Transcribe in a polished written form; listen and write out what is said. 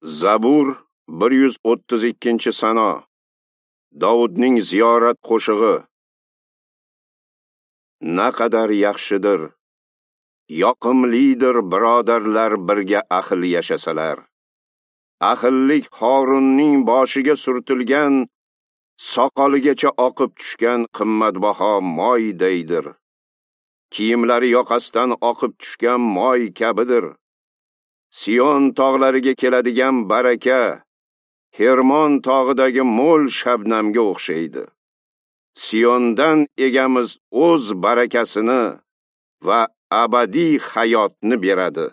Zabur 132-sano. Dovudning ziyorat qo'shig'i. Naqadar yaxshidir, yoqimlidir birodarlar birga ahil yashasalar. Ahillik Horunning boshiga surtilgan, soqoligacha oqib tushgan qimmatbaho moydaydir. Kiyimlari yoqasidan oqib tushgan moy kabidir. Sion tog'lariga keladigan baraka Hermon tog'idagi mo'l shabnamga o'xshaydi. Siondan egamiz o'z barakasini va abadiy hayotni beradi.